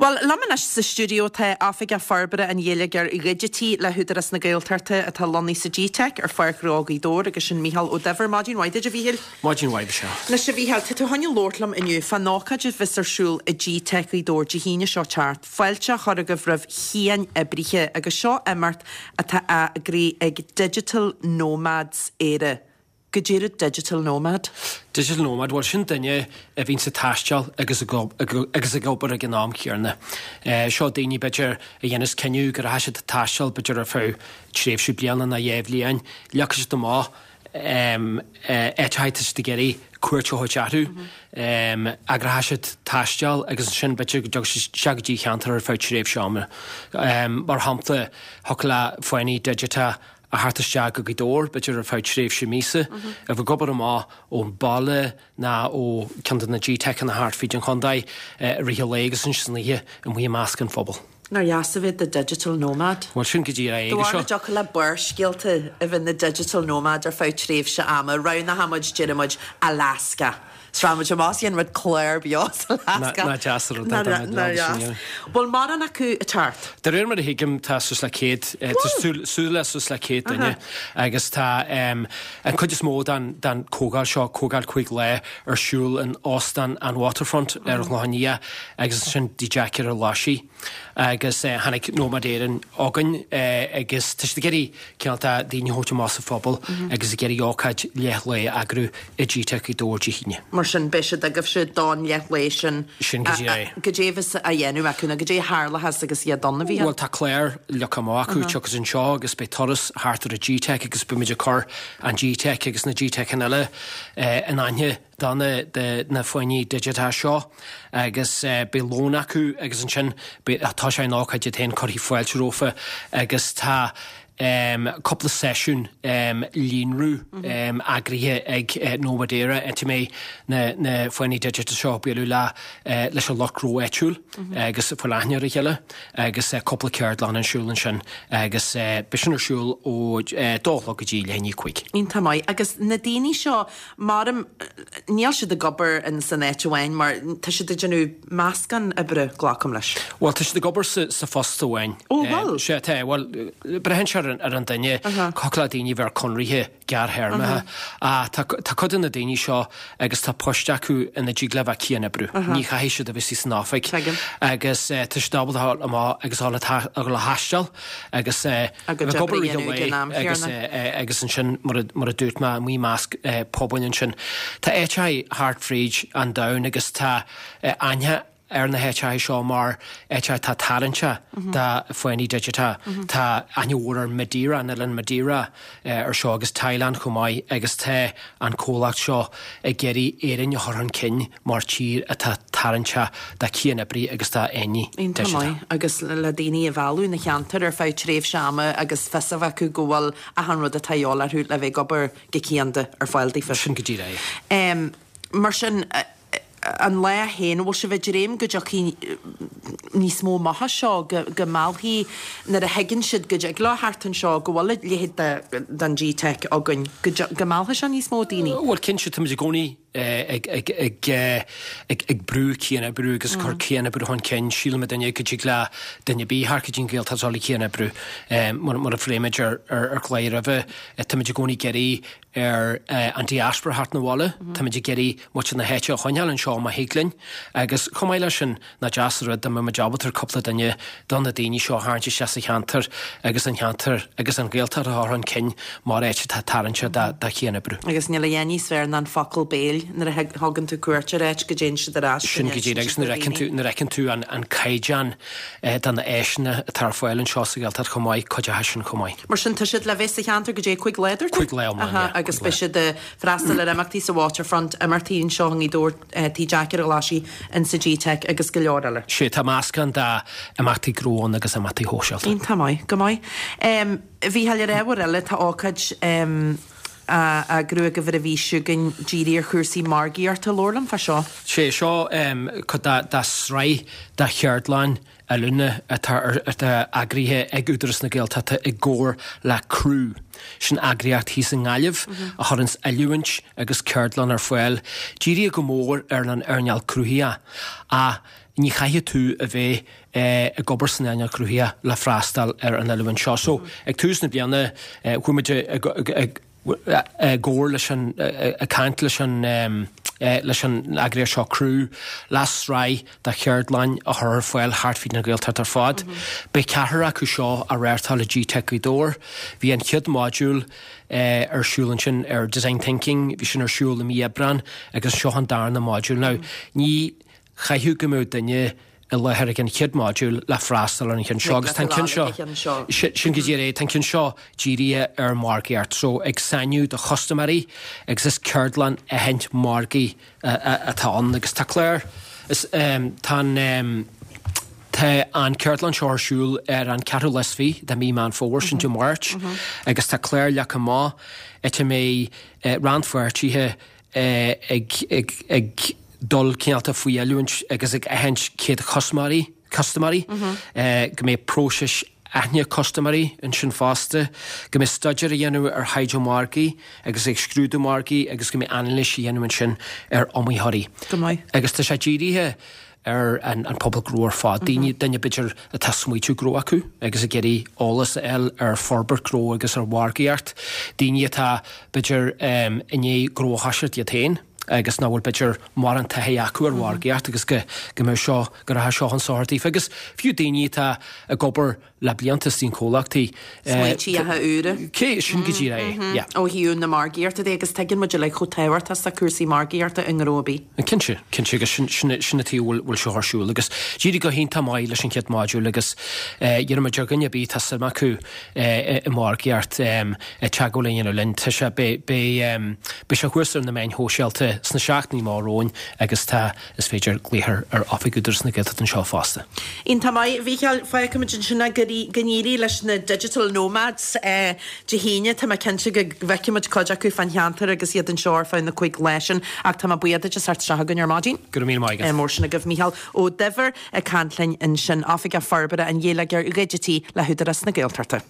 Bhuel, liom anois sa stiúideo tá Oifigeach Forbartha an Gheilleagair Dhigitigh le hÚdarás na Gaeltachta atá lonnaithe sa G-Teic ar Pháirc Ghnó Ghaoth Dobhair agus sin Mícheál Ó Duibhir. Maidin mhaith duit, a Mhíchíl. Maidin mhaith, Michelle. Anois, a Mhíchíl, tá tú chun labhairt liom inniu fán ócáid a bheas ar siúl i G-Teic Ghaoth Dobhair Dé hAoine seo teacht, fáilte á chur agaibh roimh chian-oibrithe agus seo imeacht atá á eagrú ag Digital Nomads Éire. Goidé rud Digital Nomad? Digital Nomad, bhuel sin duine a bhíonns ag taisteal agus agus ag obair ag an am chéanna. Seo daoine b'fhéidir a dhéanas cinneadh go rachaidh siad ag taisteal b'fhéidir ar feadh tréimhse bliana nó dhá bhliain, leagfaidh siad amach áiteacha atá siad ag iarraidh cuairt a thabhairt orthu, eagróidh siad taisteal agus ansin b'fhéidir go dtiocfaidh siad isteach go dtí cheantar ar feadh tréimhse ama. Mar shampla, thiocfadh le fáinní digiteacha a theacht isteach go Gaoth Dobhair, b'fhéidir ar feadh tréimhse míosa, a bheith ag obair amach ón baile ná ó ceann de na G-Teiceanna thart fríd an chontae i rith an lae agus ansin san oíche amuigh i measc an phobail. Nár dheas a bheith i do digital nomad? Bhuel, sin go díreach é Do bharr go dtiocfadh le Barrscéalta a bheith ina digital nomad ar feadh tréimhse ama, roghnódh muid, déarfaidh muid, Alaska. 'S rachaidh muid amach 's dhéanfaidh muid clár beo as Alaska. Nach deas an rud é dá mbeadh Nár dheas. Bhfuil mórán acu ag teacht? De réir mar a thuigim tá suas le 100, tá súil le suas le 100 duine agus tá an chuid is mó den chomhdháil seo, comhdháil 5 lá, ar siúl in Óstán an Waterfront ar an Chlochán Liath agus ansin Tigh Jeaic ar an Ghlaisigh. Agus tháinig Nomad Éireann chugainn agus tá siad ag iarraidh cineál de daoine a thabhairt amach sa phobal agus ag iarraidh ócáid leath lae a eagrú i G-Teic Ghaoth Dobhair Dé hAoine. Mar sin, beidh siad agaibhse don leath lae sin. Sin go díreach é. Goidé a bheas á dhéanamh acu nó goidé a tharlóchas agus iad ann, a Mhíchíl? Bhuel, tá clár leagtha amach acu, tiocfaidh siad anseo agus beidh turas thart ar an G-Teic agus beimid ag cur an G-Teic agus na G-Teiceanna eile in aithne do na do na fáinní digiteacha seo agus beidh lón acu agus ansin beidh tá sé ina ócáid iad féin cuirfidh fáilte rompu agus tá cúpla seisiún líonrú eagraithe ag Nomad Éire áit a mbeidh na na fáinní digiteacha seo ag bualadh le leis an lucht gnó áitiúil agus ag fáil aithne ar a chéile agus cúpla ceardlann ar siúl ansin agus beidh sin ar siúl ó dó a chlog go dtí leath i ndiaidh a cúig. Iontach maith. Agus na daoine seo Maram, níl siad ag obair in san áit amháin mar tá siad ag déanamh meascán oibre, glacaim leis. Bhuel, tá siad ag obair sa phost amháin. Ó, bhfuil? Sea, tá. Bhuel, braitheann sé ar an duine. Thiocfadh le daoine a bheith ar conraithe gearrthéarmacha. Ach tá cuid de na daoine seo agus tá poist acu ina dtig leo a bheith cian-oibriú. Ní chaithfidh siad a bheith san oifig. Tuigim. Agus tá siad ábalta a dhul amach agus a dhul a thaisteal agus. A gcuid oibre a dhéanamh ag an am chéanna. Agus ansin, mar a dúirt mé, amuigh i measc pobail ansin. Tá áiteacha thart fríd an domhan agus tá aithne ar na háiteacha seo mar áiteacha atá tarraingteach do fáinní digiteacha. Tá aithne mhór ar Madeira, an oileán Madeira ar seo agus Thailand chomh maith agus tá an comhlacht seo ag iarraidh Éirinn a chur chun cinn mar tír atá tarraingteach do chian-oibrithe agus do fháinní Iontach digiteacha. maith. Agus le daoine a mhealladh 'na cheantar ar feadh tréimhse ama agus fios a bheith acu go bhfuil achan rud atá a dhíobháil orthu le bheith ag obair go cianda ar fáil daofa. Sin go díreach é. Mar sin, an lá féin, an bhfuil sibh ag dréim go dtiocfaidh níos mó amach as seo, go go meallfaidh, nuair a thuigeann siad go dtig leo theacht anseo, go bhfuil a leithéid de den G-Teic againn, go go meallfaidh sé níos mó daoine? Bhuel, cinnte, táimid i gcónaí ag brú cian-oibriú agus cur cian-oibriú chun cinn. Sílimid go dtig le duine ar bith theacht go dtí an Ghaeltacht is dul ag cian-oibriú. Mar a phléigh muid ar chláir roimhe, táimid i gcónaí ag iarraidh ar an diaspora theacht 'na bhaile. Táimid ag iarraidh muintir na háite a choinneáil anseo má thig linn. Agus chomh maith leis sin, Nach deas an rud dá mbeadh muid ábalta cúpla duine de na daoine seo a tharraingt isteach sa cheantar agus an cheantar agus an Ghaeltacht a chur chun cinn mar áit atá tarraingteach do chian-oibriú. Agus níl a dhath níos fearr ná an focal béil nuair a thugann tú cuairt ar áit go dtéann siad ar ais go Sin go díreach agus nuair a fheiceann tú nuair a fheiceann tú an an caighdeán de na áiseanna atá ar fáil anseo sa Ghaeltacht chomh maith, cuideoidh sin chomh maith. Mar sin tá siad le bheith sa cheantar go dtí 5 lá, dúirt tú? 5 lá iomlán, yeah. Agus beidh siad ag freastal ar imeachtaí sa Waterfront, imeachtaí anseo i nGaoth Dobhair, Tigh Jeaic ar an Ghlaisigh, insa G-Teic agus go leor eile. Sea, tá meascán d'imeachtaí gnó ann agus imeachtaí shóisialta. Iontach maith, go maith. A Mhícheáil, ar ábhar eile, tá ócáid á eagrú agaibh ar an mhí seo chugainn dírithe ar chúrsaí margaíochta. Labhair liom fá seo. Sea, seo cuid de shraith de cheardlann oiliúna atá atá eagraithe ag Údarás na Gaeltachta i gcomhar le Criú. Sin eagraíocht thíos i nGaillimh a chuireanns oiliúint agus ceardlann ar fáil, dírithe go mór ar an earnáil cruthaitheach. ní chaithfidh tú a bheith ag obair san earnáil chruthaitheach le freastal ar an oiliúint seo. So, ag tús na bliana, chuaigh muid ag gcomhar leis an, ag caint leis an, leis an eagraíocht seo Crew, le sraith de cheardlann a chur ar fáil thart fríd an Ghaeltacht ar fad. Beidh ceathrar acu seo á reáchtáil i GTeic Gaoth Dobhair. Bhí an chéad modúl ar siúl ansin ar Design Thinking, bhí sin ar siúl i mí Aibreán agus seo an darna modúl. Now, ní chaithfeadh go mbeadh duine i láthair ag an chéad modúl le freastal ar an cheann seo agus tá an ceann seo, sin go díreach é, tá an ceann seo dírithe ar mhargaíocht, so ag sainiú do chustaiméirí agus is ceardlann aithint margaidh atá ann agus tá clár, is tá an, tá an ceardlann seo ar siúl ar an ceathrú lá is fiche de mí Meán Fómhair, sin Dé Máirt, agus tá clár leagtha amach áit a mbeidh rannpháirtithe ag dul cineálta faoi oiliúint agus ag aithint céad chustaiméirí, custaiméirí, go mbeidh próisis aithne custaiméirí ansin fosta, go mbeidh staidéar á dhéanamh ar thaighde margaidh agus ag scrúdú margaidh agus go mbeidh anailís á dhéanamh ansin ar iomaitheoirí. Go maith. Agus tá sé dírithe ar an pobal gnó ar fad, daoine, duine b'fhéidir atá smaoitiú gnó acu agus ag iarraidh eolas a fháil ar forbairt gnó agus ar mhargaíocht, daoine atá b'fhéidir i ndiaidh gnó a thoiseacht iad féin agus nach bhfuil b'fhéidir mórán taithí acu ar mhargaíocht agus go go mbeadh seo, go rachadh seo chun sochair daofa agus fiú daoine atá ag obair le blianta istigh in comhlachtaí. Smaoitíocha úra. Cé, sin go díreach é, yeah. Ó thaobh na margaíochta de agus tuigeann muid uilig chomh tábhachtach is atá cúrsaí margaíochta i ngnó ar bith. Cinnte, cinnte agus sin, sin, sin an taobh a bhfuil, bhfuil seo ar siúl agus d'éirigh go hiontach maith leis an chéad modúl agus iarraimid ar dhuine ar bith atá suim acu i margaíocht teagmháil a dhéanamh linn. Tá sé, beidh, beidh, beidh sé thuas ar na meáin shóisialta sna seachtainí amach romhainn agus tá Is féidir glaoch ar oifig Údarás na Gaeltachta anseo fosta. Iontach maith, a Mhícheáil. Fágfaimid ansin é go n-éirí leis na Digital Nomads Dé hAoine. Tá mé cinnte go bhfeicfimid cuid acu fán cheantar agus iad anseo ar feadh na cúig lá sin. Ach tá mé buíoch duit as theacht isteach chugainn ar maidin. Go raibh míle maith agat. Mór sin agaibh. Mícheál Ó Duibhir ag caint linn ansin, Oifigeach Forbartha an Gheilleagair Dhigitigh le hÚdarás na Gaeltachta.